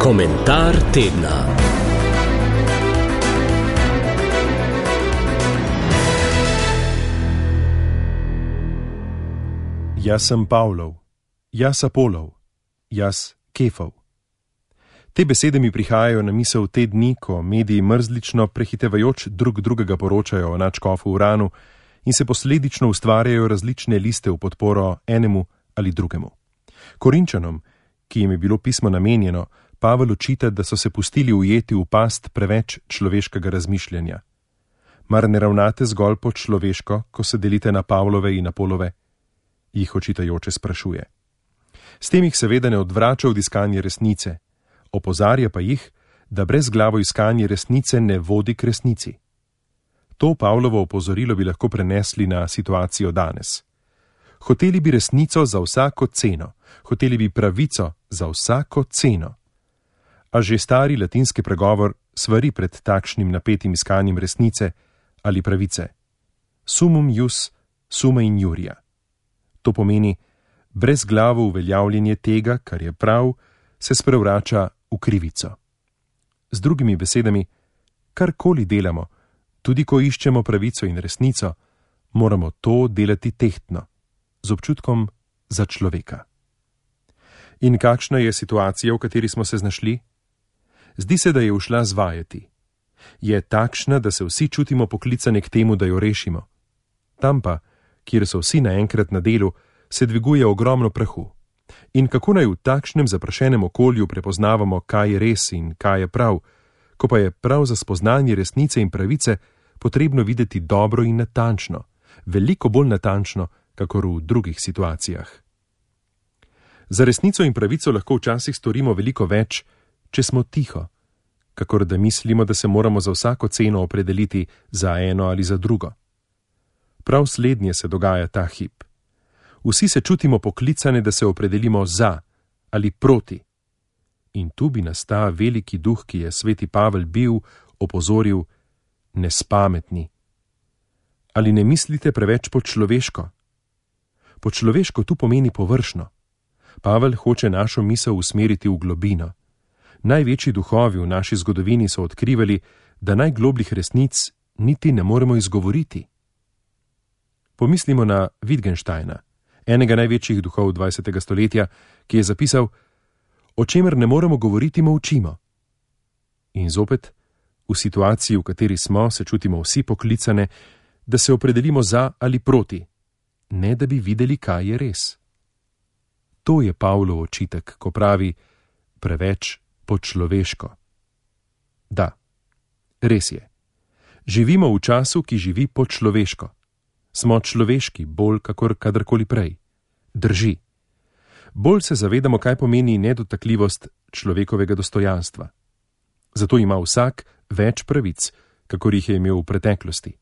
Komentar tedna. Jaz sem Pavlov, jaz Apolov, jaz Kefov. Te besede mi prihajajo na misel te dni, ko mediji mrzlično prehitevajoč drug drugega poročajo o nadškofu Uranu in se posledično ustvarjajo različne liste v podporo enemu ali drugemu. Korinčanom, ki jim je bilo pismo namenjeno, Pavel očita, da so se pustili ujeti v past preveč človeškega razmišljanja. Mar ne ravnate zgolj po človeško, ko se delite na Pavlove in Apolove? Jih očitajoče sprašuje. S tem jih seveda ne odvrača od iskanja resnice, opozarja pa jih, da brezglavo iskanje resnice ne vodi k resnici. To Pavlovo opozorilo bi lahko prenesli na situacijo danes. Hoteli bi resnico za vsako ceno, hoteli bi pravico za vsako ceno. A že stari latinski pregovor svari pred takšnim napetim iskanjem resnice ali pravice. Sumum ius, summa injuria. To pomeni, brezglavo uveljavljanje tega, kar je prav, se sprevrača v krivico. Z drugimi besedami, karkoli delamo, tudi ko iščemo pravico in resnico, moramo to delati tehtno, z občutkom za človeka. In kakšna je situacija, v kateri smo se znašli? Zdi se, da je ušla zvajati. Je takšna, da se vsi čutimo poklicane k temu, da jo rešimo. Tam pa, kjer so vsi naenkrat na delu, se dviguje ogromno prahu. In kako naj v takšnem zaprašenem okolju prepoznavamo, kaj je res in kaj je prav, ko pa je prav za spoznanje resnice in pravice potrebno videti dobro in natančno, veliko bolj natančno, kakor v drugih situacijah. Za resnico in pravico lahko včasih storimo veliko več, če smo tiho, kakor da mislimo, da se moramo za vsako ceno opredeliti za eno ali za drugo. Prav slednje se dogaja ta hip. Vsi se čutimo poklicane, da se opredelimo za ali proti. In tu bi nas ta veliki duh, ki je sveti Pavel bil, opozoril: nespametni. Ali ne mislite preveč po človeško? Po človeško tu pomeni površno. Pavel hoče našo misel usmeriti v globino. Največji duhovi v naši zgodovini so odkrivali, da najglobljih resnic niti ne moremo izgovoriti. Pomislimo na Wittgensteina, enega največjih duhov 20. stoletja, ki je zapisal: o čemer ne moremo govoriti, molčimo. In zopet, v situaciji, v kateri smo, se čutimo vsi poklicane, da se opredelimo za ali proti, ne da bi videli, kaj je res. To je Pavlov očitek, ko pravi preveč po človeško. Da, res je. Živimo v času, ki živi po človeško. Smo človeški bolj kakor kadarkoli prej. Drži. Bolj se zavedamo, kaj pomeni nedotakljivost človekovega dostojanstva. Zato ima vsak več pravic, kakor jih je imel v preteklosti.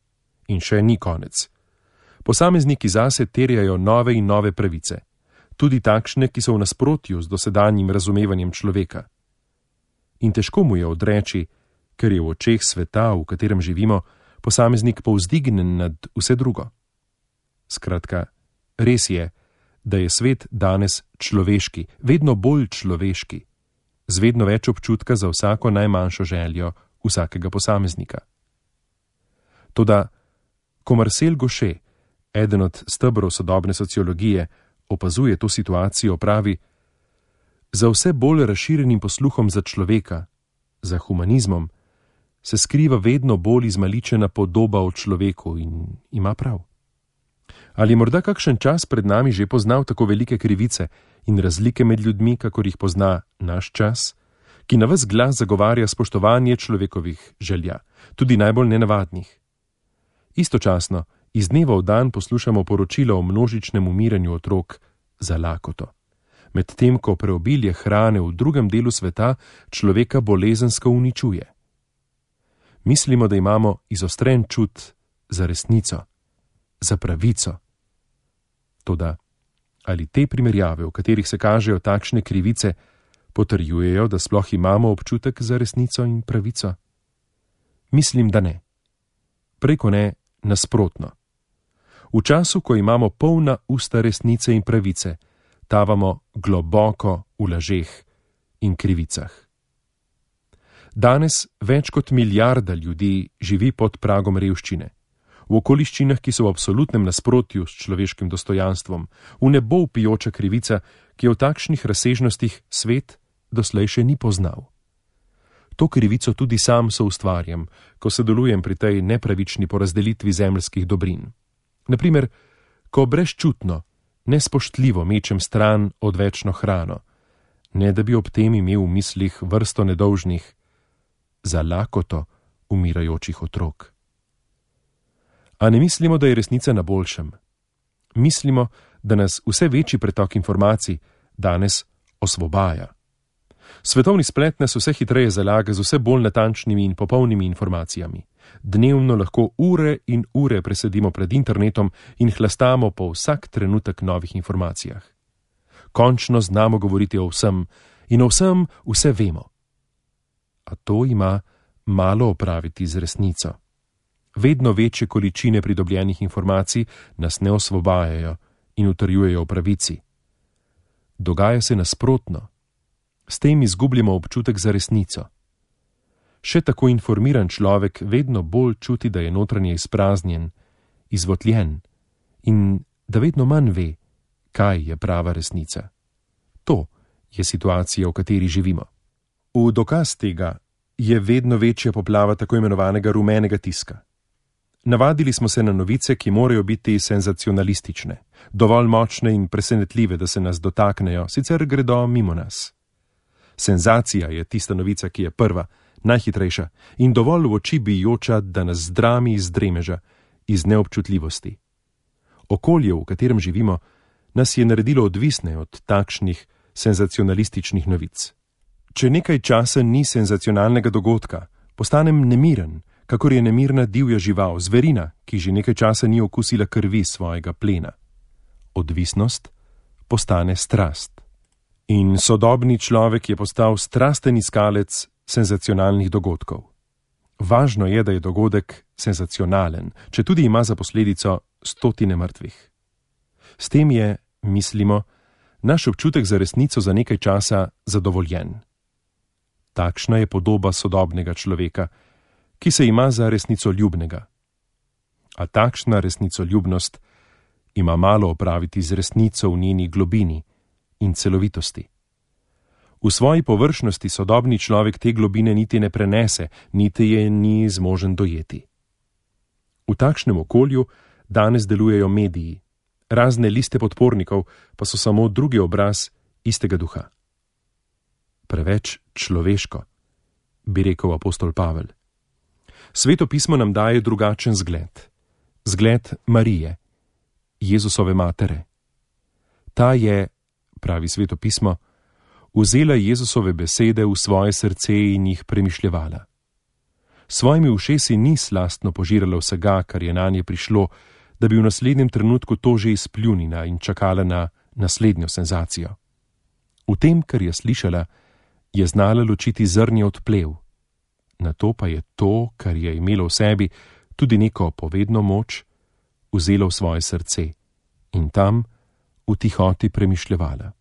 In še ni konec. Posamezniki zase terjajo nove in nove pravice, tudi takšne, ki so v nasprotju z dosedanjim razumevanjem človeka. In težko mu je odreči, ker je v očeh sveta, v katerem živimo, posameznik povzdignen nad vse drugo. Skratka, res je, da je svet danes človeški, vedno bolj človeški, z vedno več občutka za vsako najmanjšo željo vsakega posameznika. Toda, ko Marcel Gauchet, eden od stebrov sodobne sociologije, opazuje to situacijo, pravi: za vse bolj razširjenim posluhom za človeka, za humanizmom, se skriva vedno bolj izmaličena podoba o človeku in ima prav. Ali morda kakšen čas pred nami že poznal tako velike krivice in razlike med ljudmi, kakor jih pozna naš čas, ki na ves glas zagovarja spoštovanje človekovih želja, tudi najbolj nenavadnih? Istočasno iz dneva v dan poslušamo poročila o množičnem umiranju otrok za lakoto, medtem ko preobilje hrane v drugem delu sveta človeka bolezensko uničuje. Mislimo, da imamo izostren čut za resnico, za pravico. Toda, ali te primerjave, v katerih se kažejo takšne krivice, potrjujejo, da sploh imamo občutek za resnico in pravico? Mislim, da ne. Preko ne, nasprotno. V času, ko imamo polna usta resnice in pravice, tavamo globoko v lažeh in krivicah. Danes več kot milijarda ljudi živi pod pragom revščine. V okoliščinah, ki so v absolutnem nasprotju s človeškim dostojanstvom, v nebo vpijoča krivica, ki je v takšnih razsežnostih svet doslej še ni poznal. To krivico tudi sam soustvarjam, ko sodelujem pri tej nepravični porazdelitvi zemeljskih dobrin. Naprimer, ko brezčutno, nespoštljivo mečem stran odvečno hrano, ne da bi ob tem imel v mislih vrsto nedolžnih, za lakoto umirajočih otrok. A ne mislimo, da je resnica na boljšem. Mislimo, da nas vse večji pretok informacij danes osvobaja. Svetovni splet nas vse hitreje zalaga z vse bolj natančnimi in popolnimi informacijami. Dnevno lahko ure in ure presedimo pred internetom in hlastamo po vsak trenutek novih informacijah. Končno znamo govoriti o vsem in o vsem vse vemo. A to ima malo opraviti z resnico. Vedno večje količine pridobljenih informacij nas ne osvobajajo in utrjujejo v pravici. Dogaja se nasprotno. S tem izgubljamo občutek za resnico. Še tako informiran človek vedno bolj čuti, da je notranje izpraznjen, izvotljen in da vedno manj ve, kaj je prava resnica. To je situacija, v kateri živimo. V dokaz tega je vedno večja poplava tako imenovanega rumenega tiska. Navadili smo se na novice, ki morajo biti senzacionalistične, dovolj močne in presenetljive, da se nas dotaknejo, sicer gredo mimo nas. Senzacija je tista novica, ki je prva, najhitrejša in dovolj v oči bijoča, da nas zdrami iz dremeža, iz neobčutljivosti. Okolje, v katerem živimo, nas je naredilo odvisne od takšnih senzacionalističnih novic. Če nekaj časa ni senzacionalnega dogodka, postanem nemiren, kakor je nemirna divja žival, zverina, ki že nekaj časa ni okusila krvi svojega plena. Odvisnost postane strast. In sodobni človek je postal strasten iskalec senzacionalnih dogodkov. Važno je, da je dogodek senzacionalen, če tudi ima za posledico stotine mrtvih. S tem je, mislimo, naš občutek za resnico za nekaj časa zadovoljen. Takšna je podoba sodobnega človeka, ki se ima za resnicoljubnega. A takšna resnicoljubnost ima malo opraviti z resnico v njeni globini in celovitosti. V svoji površnosti sodobni človek te globine niti ne prenese, niti je ni zmožen dojeti. V takšnem okolju danes delujejo mediji, razne liste podpornikov pa so samo drugi obraz istega duha. Preveč človeško, bi rekel apostol Pavel. Sveto pismo nam daje drugačen zgled. Zgled Marije, Jezusove matere. Ta je, pravi Sveto pismo, vzela Jezusove besede v svoje srce in jih premišljevala. Svojimi ušesi ni slastno požirala vsega, kar je nanje prišlo, da bi v naslednjem trenutku to že izpljunila in čakala na naslednjo senzacijo. V tem, kar je slišala, je znala ločiti zrnje od plev. Nato pa je to, kar je imelo v sebi, tudi neko povedno moč, vzela v svoje srce in tam v tihoti premišljevala.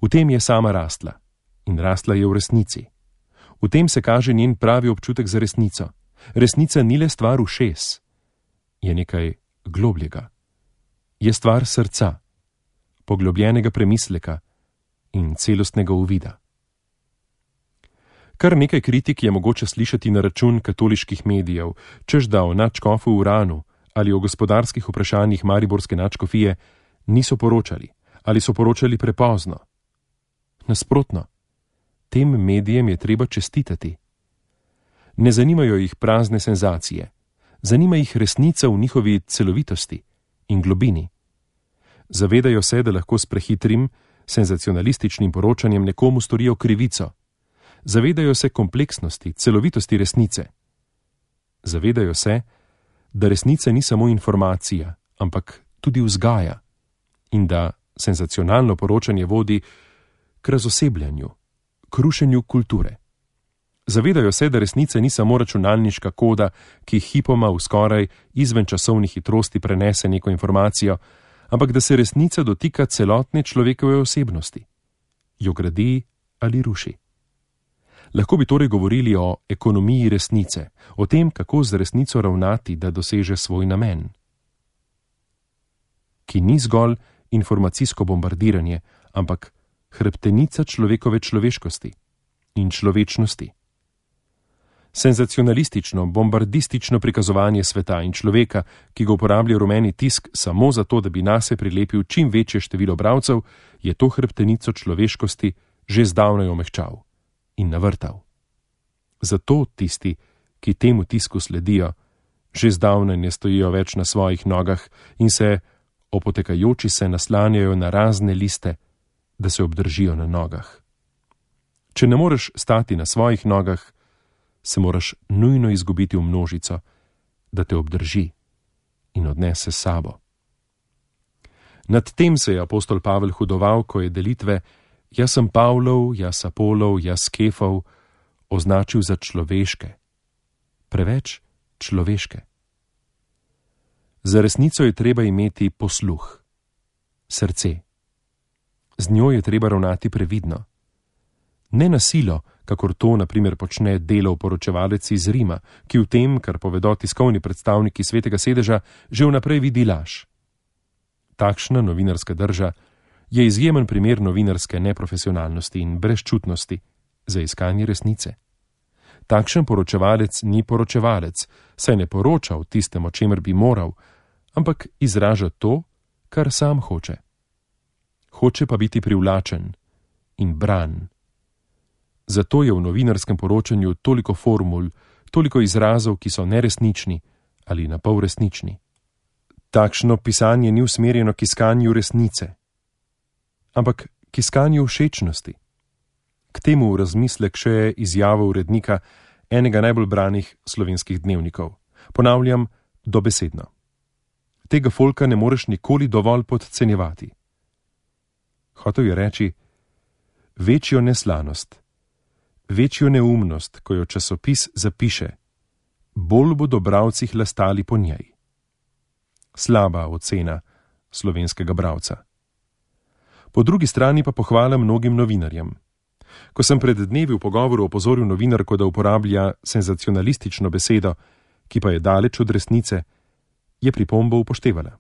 V tem je sama rastla in rastla je v resnici. V tem se kaže njen pravi občutek za resnico. Resnica ni le stvar ušes, je nekaj globljega. Je stvar srca, poglobljenega premisleka in celostnega uvida. Kar nekaj kritik je mogoče slišati na račun katoliških medijev, češ da o nadškofu Uranu ali o gospodarskih vprašanjih mariborske nadškofije niso poročali ali so poročali prepozno. Nasprotno, tem medijem je treba čestitati. Ne zanimajo jih prazne senzacije, zanima jih resnica v njihovi celovitosti in globini. Zavedajo se, da lahko s prehitrim, senzacionalističnim poročanjem nekomu storijo krivico. Zavedajo se kompleksnosti, celovitosti resnice. Zavedajo se, da resnica ni samo informacija, ampak tudi vzgaja in da senzacionalno poročanje vodi k razosebljanju, k rušenju kulture. Zavedajo se, da resnica ni samo računalniška koda, ki hipoma v skoraj izven časovni hitrosti prenese neko informacijo, ampak da se resnica dotika celotne človekove osebnosti, jo gradi ali ruši. Lahko bi torej govorili o ekonomiji resnice, o tem, kako z resnico ravnati, da doseže svoj namen, ki ni zgolj informacijsko bombardiranje, ampak hrbtenica človekove človeškosti in človečnosti. Senzacionalistično, bombardistično prikazovanje sveta in človeka, ki ga uporablja rumeni tisk samo zato, da bi nase prilepil čim večje število bralcev, je to hrbtenico človeškosti že zdavnaj omehčal in navrtal. Zato tisti, ki temu tisku sledijo, že zdavnaj ne stojijo več na svojih nogah in se, opotekajoči se, naslanjajo na razne liste, da se obdržijo na nogah. Če ne moreš stati na svojih nogah, se moraš nujno izgubiti v množico, da te obdrži in odnese s sabo. Nad tem se je apostol Pavel hudoval, ko je delitve jaz sem Pavlov, jaz Apolov, jaz Kefov označil za človeške, preveč človeške. Za resnico je treba imeti posluh, srce. Z njo je treba ravnati previdno. Ne na silo, kakor to na primer počne Delov poročevalec iz Rima, ki v tem, kar povedo tiskovni predstavniki Svetega sedeža, že vnaprej vidi laž. Takšna novinarska drža je izjemen primer novinarske neprofesionalnosti in brezčutnosti za iskanje resnice. Takšen poročevalec ni poročevalec, saj ne poroča o tistem, o čemer bi moral, ampak izraža to, kar sam hoče. Hoče pa biti privlačen in bran. Zato je v novinarskem poročanju toliko formul, toliko izrazov, ki so neresnični ali napol resnični. Takšno pisanje ni usmerjeno k iskanju resnice, ampak k iskanju všečnosti. K temu v razmislek še izjava urednika enega najbolj branih slovenskih dnevnikov. Ponavljam, dobesedno. Tega folka ne moreš nikoli dovolj podcenjevati. Hotel je reči, večjo neslanost, večjo neumnost, ko jo časopis zapiše, bolj bodo bralci hlastali po njej. Slaba ocena slovenskega bralca. Po drugi strani pa pohvala mnogim novinarjem. Ko sem pred dnevi v pogovoru opozoril novinarko, da uporablja senzacionalistično besedo, ki pa je daleč od resnice, je pripombo upoštevala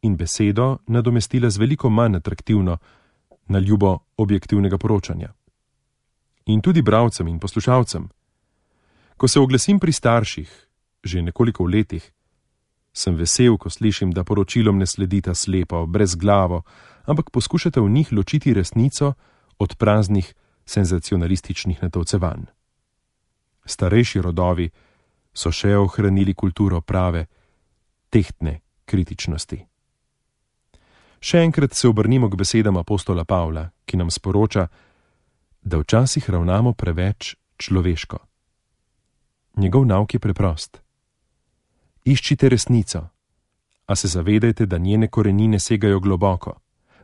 in besedo nadomestila z veliko manj atraktivno, na ljubo objektivnega poročanja. In tudi bralcem in poslušalcem. Ko se oglasim pri starših, že nekoliko v letih, sem vesel, ko slišim, da poročilom ne sledita slepo, brezglavo, ampak poskušate v njih ločiti resnico od praznih senzacionalističnih natolcevanj. Starejši rodovi so še ohranili kulturo prave, tehtne kritičnosti. Še enkrat se obrnimo k besedam apostola Pavla, ki nam sporoča, da včasih ravnamo preveč človeško. Njegov nauk je preprost. Iščite resnico, a se zavedajte, da njene korenine segajo globoko,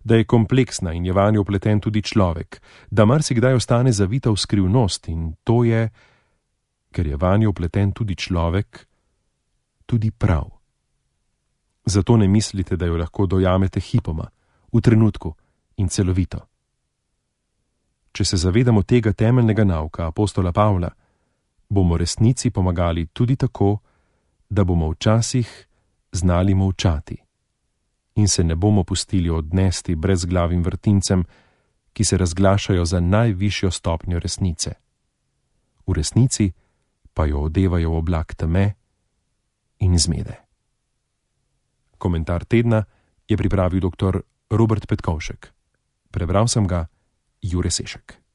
da je kompleksna in je vanjo vpleten tudi človek, da marsikdaj ostane zavita v skrivnost in to je, ker je vanjo vpleten tudi človek, tudi prav. Zato ne mislite, da jo lahko dojamete hipoma, v trenutku in celovito. Če se zavedamo tega temeljnega nauka apostola Pavla, bomo resnici pomagali tudi tako, da bomo včasih znali molčati in se ne bomo pustili odnesti brezglavim vrtincem, ki se razglašajo za najvišjo stopnjo resnice. V resnici pa jo odevajo v oblak teme in zmede. Komentar tedna je pripravil dr. Robert Petkovšek. Prebral sem ga Jure Sešek.